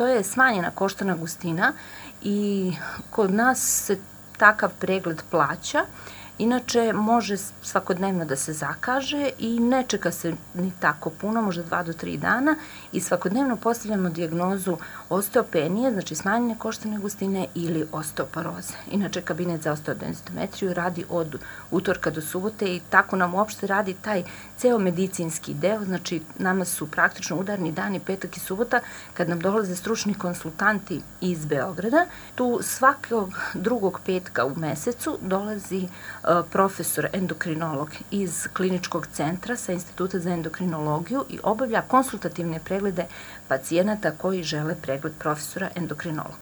to je smanjena koštana gustina i kod nas se takav pregled plaća. Inače, može svakodnevno da se zakaže i ne čeka se ni tako puno, možda 2 do 3 dana i svakodnevno postavljamo dijagnozu osteopenije, znači smanjene koštane gustine ili osteoporoze. Inače, kabinet za osteodensitometriju radi od utorka do subote i tako nam uopšte radi taj ceo medicinski deo, znači nama su praktično udarni dani petak i subota kad nam dolaze stručni konsultanti iz Beograda. Tu svakog drugog petka u mesecu dolazi profesor endokrinolog iz kliničkog centra sa Instituta za endokrinologiju i obavlja konsultativne preglede pacijenata koji žele pregled profesora endokrinologa.